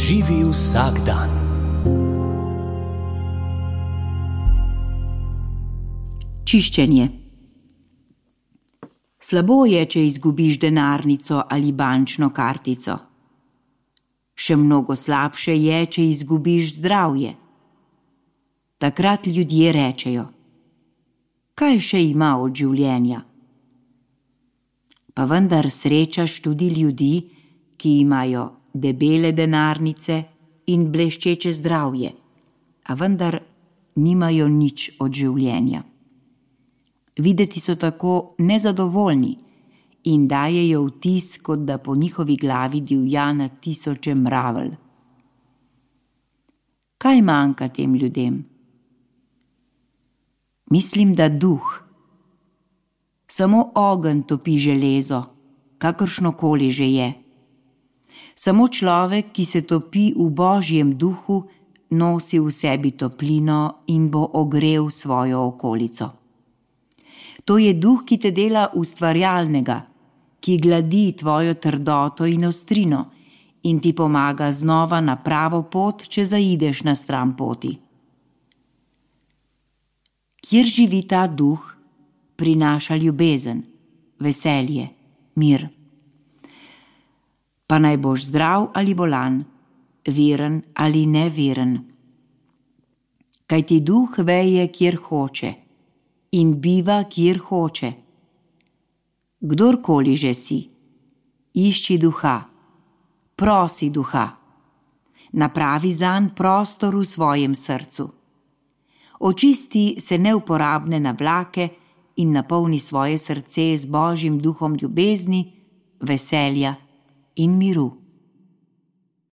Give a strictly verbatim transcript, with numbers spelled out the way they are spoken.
Živi vsak dan. Čiščenje. Slabo je, če izgubiš denarnico ali bančno kartico. Še mnogo slabše je, če izgubiš zdravje. Takrat ljudje rečejo: kaj še ima od življenja? Pa vendar srečaš tudi ljudi, ki imajo debele denarnice in bleščeče zdravje, a vendar nimajo nič od življenja. Videti so tako nezadovoljni in dajejo vtis, kot da po njihovi glavi divja na tisoče mravelj. Kaj manjka tem ljudem? Mislim, da duh. Samo ogenj topi železo, kakršnokoli že je. Samo človek, ki se topi v Božjem duhu, nosi v sebi toplino in bo ogrel svojo okolico. To je duh, ki te dela ustvarjalnega, ki gladi tvojo trdoto in ostrino in ti pomaga znova na pravo pot, če zaideš na stran poti. Kjer živi ta duh, prinaša ljubezen, veselje, mir. Pa naj boš zdrav ali bolan, veren ali neveren. Kajti duh veje, kjer hoče, in biva, kjer hoče. Kdorkoli že si, išči duha, prosi duha, napravi zanj prostor v svojem srcu. Očisti se neuporabne navlake in napolni svoje srce z Božjim duhom ljubezni, veselja in miru.